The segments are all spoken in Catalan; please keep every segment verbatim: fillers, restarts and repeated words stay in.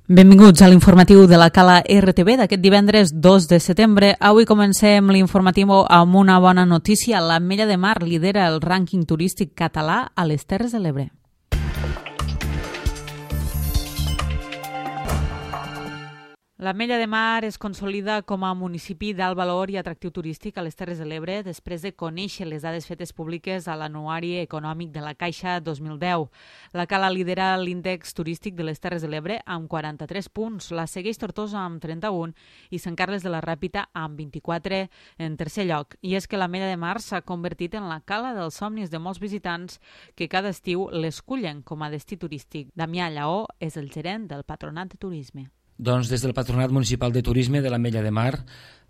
Benvinguts a l'informatiu de la Cala R T V d'aquest divendres dos de setembre. Avui comencem l'informatiu amb una bona notícia. L'Ametlla de Mar lidera el rànquing turístic català a les Terres de l'Ebre. L'Ametlla de Mar es consolida com a municipi d'alt valor i atractiu turístic a les Terres de l'Ebre després de conèixer les dades fetes públiques a l'Anuari Econòmic de la Caixa dos mil deu. La Cala lidera l'índex turístic de les Terres de l'Ebre amb quaranta-tres punts, la segueix Tortosa amb trenta-un i Sant Carles de la Ràpita amb vint-i-quatre en tercer lloc. I és que l'Ametlla de Mar s'ha convertit en la cala dels somnis de molts visitants que cada estiu l'escullen com a destí turístic. Damià Lleó és el gerent del Patronat de Turisme. Doncs des del Patronat Municipal de Turisme de l'Ametlla de Mar,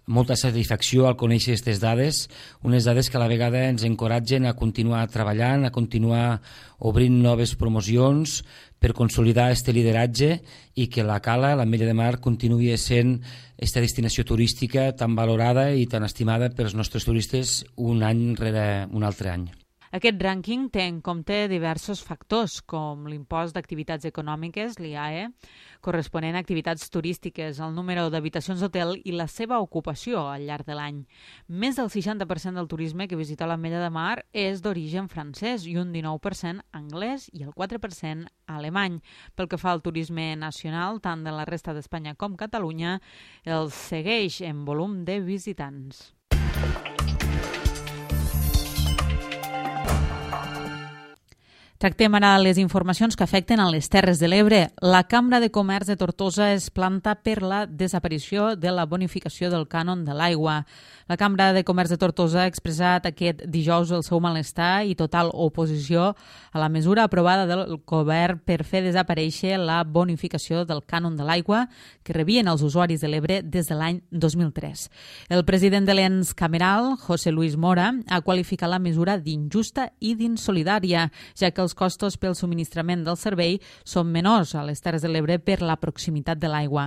molta satisfacció al conèixer aquestes dades, unes dades que a la vegada ens encoratgen a continuar treballant, a continuar obrint noves promocions per consolidar aquest lideratge i que la Cala, l'Ametlla de Mar, continuï sent aquesta destinació turística tan valorada i tan estimada pels nostres turistes un any rere un altre any. Aquest rànquing té en compte diversos factors, com l'impost d'activitats econòmiques, l'I A E, corresponent a activitats turístiques, el número d'habitacions d'hotel i la seva ocupació al llarg de l'any. Més del seixanta per cent del turisme que visita l'Ametlla de Mar és d'origen francès i un dinou per cent anglès i el quatre per cent alemany. Pel que fa al turisme nacional, tant de la resta d'Espanya com Catalunya, el segueix en volum de visitants. Tractem ara les informacions que afecten a les Terres de l'Ebre. La Cambra de Comerç de Tortosa es planta per la desaparició de la bonificació del cànon de l'aigua. La Cambra de Comerç de Tortosa ha expressat aquest dijous el seu malestar i total oposició a la mesura aprovada del govern per fer desaparèixer la bonificació del cànon de l'aigua que rebien els usuaris de l'Ebre des de l'any dos mil tres. El president de l'ens cameral, José Luis Mora, ha qualificat la mesura d'injusta i d'insolidària, ja que els costos pel subministrament del servei són menors a les Terres de l'Ebre per la proximitat de l'aigua.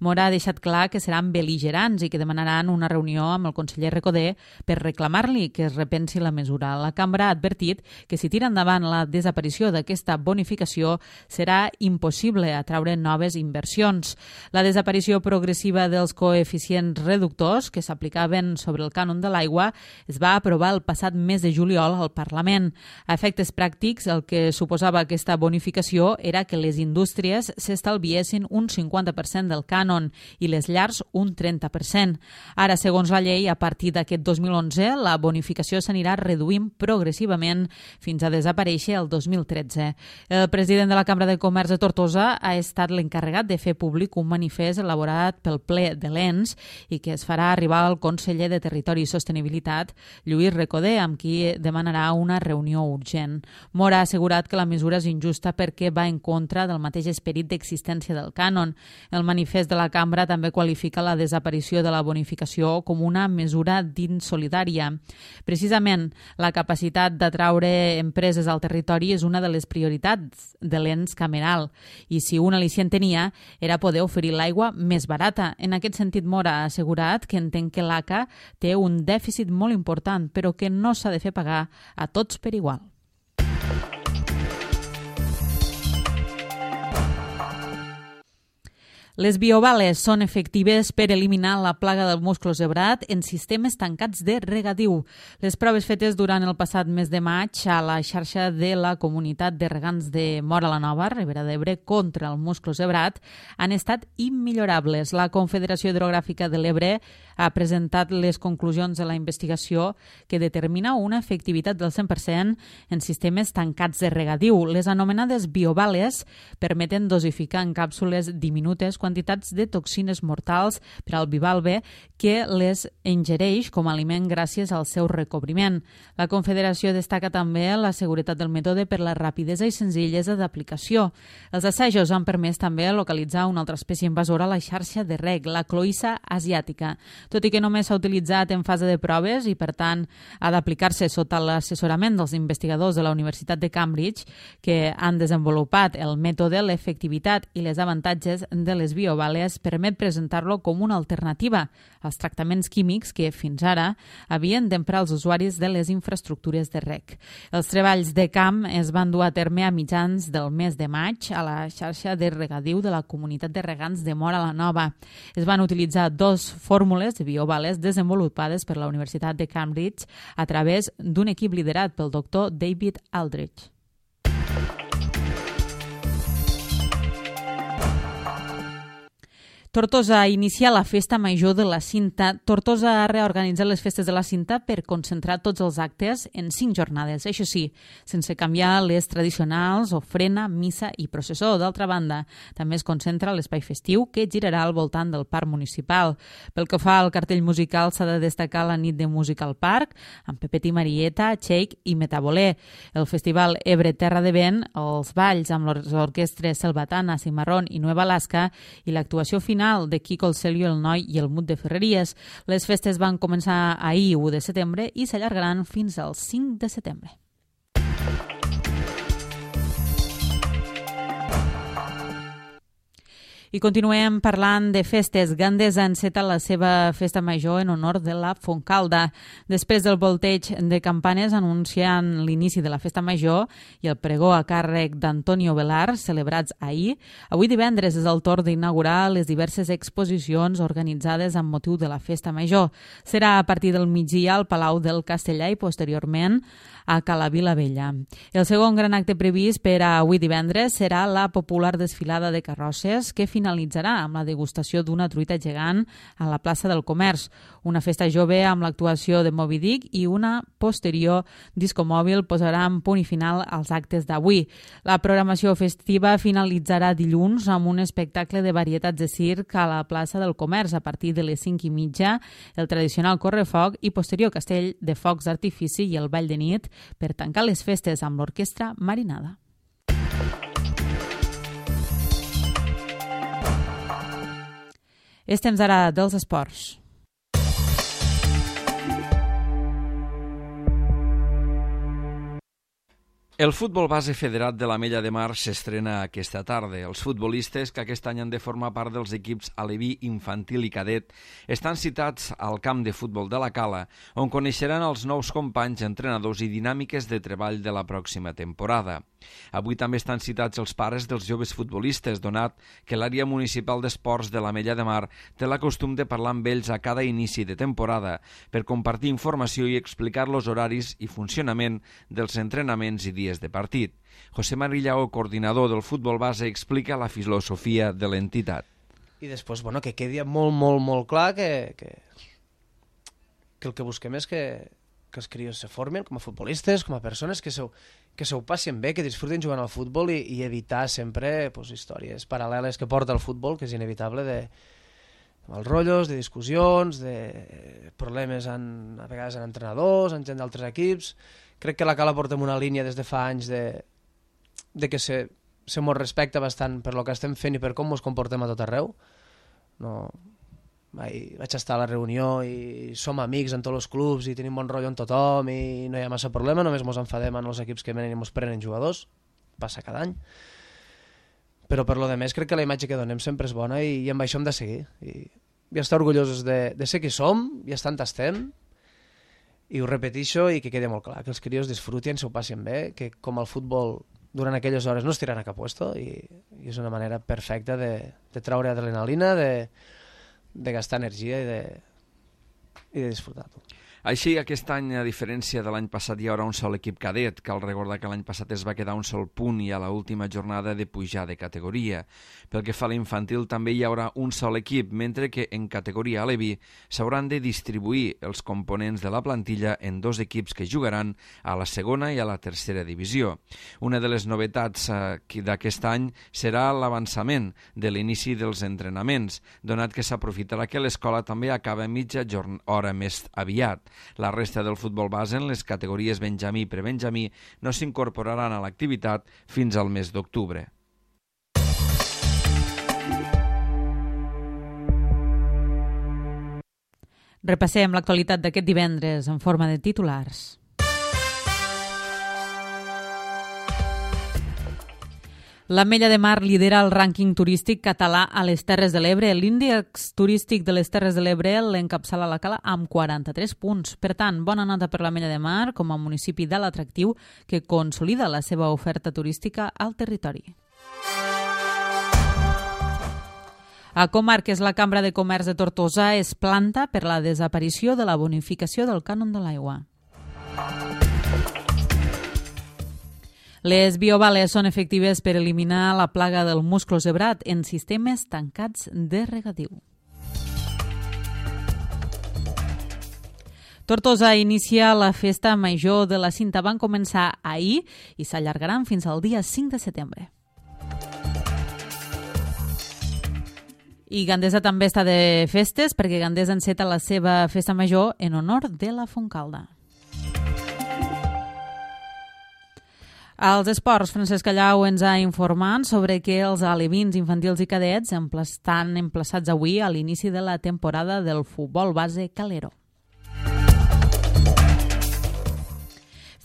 Mora ha deixat clar que seran bel·ligerants i que demanaran una reunió amb el conseller Recoder per reclamar-li que es repensi la mesura. La Cambra ha advertit que si tira endavant la desaparició d'aquesta bonificació serà impossible atraure noves inversions. La desaparició progressiva dels coeficients reductors que s'aplicaven sobre el cànon de l'aigua es va aprovar el passat mes de juliol al Parlament. A efectes pràctics, el que suposava aquesta bonificació era que les indústries s'estalviessin un cinquanta per cent del cànon i les llars un trenta per cent. Ara, segons la llei, a partir d'aquest dos mil onze, la bonificació s'anirà reduint progressivament fins a desaparèixer el dos mil tretze. El president de la Cambra de Comerç de Tortosa ha estat l'encarregat de fer públic un manifest elaborat pel ple de l'ens i que es farà arribar al conseller de Territori i Sostenibilitat, Lluís Recoder, amb qui demanarà una reunió urgent. Mora ha assegurat que la mesura és injusta perquè va en contra del mateix esperit d'existència del cànon. El manifest de la Cambra també qualifica la desaparició de la bonificació com una mesura d'insolidària. Precisament, la capacitat d'atraure empreses al territori és una de les prioritats de l'ens cameral i si un al·licient tenia era poder oferir l'aigua més barata. En aquest sentit, Mora ha assegurat que entén que l'A C A té un dèficit molt important però que no s'ha de fer pagar a tots per igual. Les biovales són efectives per eliminar la plaga del musclo zebrat en sistemes tancats de regadiu. Les proves fetes durant el passat mes de maig a la xarxa de la comunitat de regants de Móra la Nova, Ribera d'Ebre, contra el musclo zebrat han estat immillorables. La Confederació Hidrogràfica de l'Ebre ha presentat les conclusions de la investigació que determina una efectivitat del cent per cent en sistemes tancats de regadiu. Les anomenades biovales permeten dosificar en càpsules diminutes quantitats de toxines mortals per al bivalve que les ingereix com a aliment gràcies al seu recobriment. La Confederació destaca també la seguretat del mètode per la rapidesa i senzillesa d'aplicació. Els assajos han permès també localitzar una altra espècie invasora a la xarxa de reg, la cloïssa asiàtica. Tot i que només s'ha utilitzat en fase de proves i, per tant, ha d'aplicar-se sota l'assessorament dels investigadors de la Universitat de Cambridge que han desenvolupat el mètode, l'efectivitat i les avantatges de les biobales permet presentar-lo com una alternativa als tractaments químics que, fins ara, havien d'emprar els usuaris de les infraestructures de reg. Els treballs de camp es van dur a terme a mitjans del mes de maig a la xarxa de regadiu de la comunitat de regants de Móra la Nova. Es van utilitzar dos fórmules de biobales desenvolupades per la Universitat de Cambridge a través d'un equip liderat pel doctor David Aldrich. Tortosa inicia la festa major de la Cinta. Tortosa ha reorganitzat les festes de la Cinta per concentrar tots els actes en cinc jornades, això sí, sense canviar les tradicionals ofrena, missa i processó. D'altra banda, també es concentra l'espai festiu que girarà al voltant del parc municipal. Pel que fa al cartell musical, s'ha de destacar la nit de música al parc, amb Pepet i Marieta, Shake i Metabolé. El festival Ebre Terra de Vent, els balls amb les orquestres Selvatana, Cimarrón i Nueva Alaska i l'actuació final de Kiko el Celio, el Noi i el Mut de Ferreries. Les festes van començar ahir, u de setembre, i s'allargaran fins al cinc de setembre. I continuem parlant de festes. Gandesa enceta la seva festa major en honor de la Fontcalda. Després del volteig de campanes anunciant l'inici de la festa major i el pregó a càrrec d'Antonio Velar, celebrats ahir, avui divendres és el torn d'inaugurar les diverses exposicions organitzades amb motiu de la festa major. Serà a partir del migdia al Palau del Castellà i posteriorment a Cala Vilavella. El segon gran acte previst per a avui divendres serà la popular desfilada de carrosses que finalitzarà amb la degustació d'una truita gegant a la plaça del Comerç, una festa jove amb l'actuació de Moby Dick i una posterior disco mòbil posarà en punt i final als actes d'avui. La programació festiva finalitzarà dilluns amb un espectacle de varietats de circ a la plaça del Comerç a partir de les cinc i mitja, el tradicional correfoc i posterior castell de focs d'artifici i el ball de nit per tancar les festes amb l'orquestra Marinada. És temps ara dels esports. El futbol base federat de l'Ametlla de Mar s'estrena aquesta tarda. Els futbolistes que aquest any han de formar part dels equips aleví, infantil i cadet estan citats al camp de futbol de la Cala, on coneixeran els nous companys, entrenadors i dinàmiques de treball de la pròxima temporada. Avui també estan citats els pares dels joves futbolistes, donat que l'àrea municipal d'esports de l'Ametlla de Mar té la costum de parlar amb ells a cada inici de temporada per compartir informació i explicar los horaris i funcionament dels entrenaments i dies de partit. José Marillao, coordinador del futbol base, explica la filosofia de l'entitat. I després, bueno, que quedi molt, molt, molt clar que, que, que el que busquem és que, que els crios se formen com a futbolistes, com a persones, que se, que se ho passin bé, que disfruten jugant al futbol i, i evitar sempre pues, històries paral·leles que porta el futbol, que és inevitable, de mal rotllos, de discussions, de problemes en, a vegades en entrenadors, en gent d'altres equips. Crec que la Cala porta una línia des de fa anys de, de que se, se mos respecta bastant per lo que estem fent i per com ens comportem a tot arreu. No, vaig, vaig estar a la reunió i som amics en tots els clubs i tenim bon rotllo amb tothom i no hi ha massa problema, només ens enfadem en els equips que venen i ens prenen jugadors, passa cada any. Però per lo demés crec que la imatge que donem sempre és bona i, i amb això hem de seguir. I, i estar orgullosos de, de ser qui som i estar on estem. I ho repeteixo i que quedi molt clar, que els crios disfrutin, s'ho passin bé, que com el futbol durant aquelles hores no es tiran a cap puesto i, i és una manera perfecta de, de treure adrenalina, de, de gastar energia i de, i de disfrutar-ho. Així, aquest any, a diferència de l'any passat, hi haurà un sol equip cadet. Cal recordar que l'any passat es va quedar un sol punt i a l'última jornada de pujar de categoria. Pel que fa a l'infantil, també hi haurà un sol equip, mentre que en categoria aleví s'hauran de distribuir els components de la plantilla en dos equips que jugaran a la segona i a la tercera divisió. Una de les novetats eh, d'aquest any serà l'avançament de l'inici dels entrenaments, donat que s'aprofitarà que l'escola també acaba mitja hora més aviat. La resta del futbol base en les categories benjamí i prebenjamí no s'incorporaran a l'activitat fins al mes d'octubre. Repassem l'actualitat d'aquest divendres en forma de titulars. L'Ametlla de Mar lidera el rànquing turístic català a les Terres de l'Ebre. L'índex turístic de les Terres de l'Ebre l'encapçala la Cala amb quaranta-tres punts. Per tant, bona nota per l'Ametlla de Mar com a municipi d'alt atractiu que consolida la seva oferta turística al territori. A Comarques, la Cambra de Comerç de Tortosa es planta per la desaparició de la bonificació del cànon de l'aigua. Les biobales són efectives per eliminar la plaga del musclo zebrat en sistemes tancats de regadiu. Tortosa inicia la festa major de la Cinta. Van començar ahir i s'allargaran fins al dia cinc de setembre. I Gandesa també està de festes perquè Gandesa enceta la seva festa major en honor de la Fontcalda. Als esports, Francesc Callau ens ha informat sobre que els alevins infantils i cadets estan emplaçats avui a l'inici de la temporada del futbol base Calero.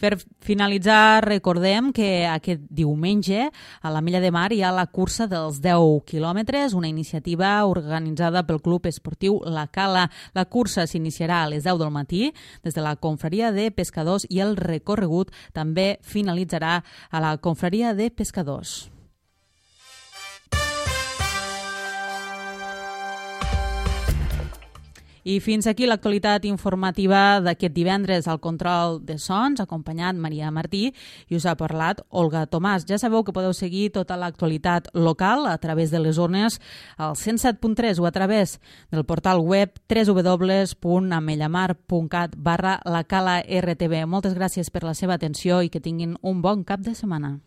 Per finalitzar, recordem que aquest diumenge a l'Ametlla de Mar hi ha la cursa dels deu quilòmetres, una iniciativa organitzada pel Club Esportiu La Cala. La cursa s'iniciarà a les deu del matí des de la Confraria de Pescadors i el recorregut també finalitzarà a la Confraria de Pescadors. I fins aquí l'actualitat informativa d'aquest divendres. Al control de sons, acompanyat Maria Martí, i us ha parlat Olga Tomàs. Ja sabeu que podeu seguir tota l'actualitat local a través de les zones al cent set punt tres o a través del portal web w w w punt amellamar punt cat barra la cala R T V. Moltes gràcies per la seva atenció i que tinguin un bon cap de setmana.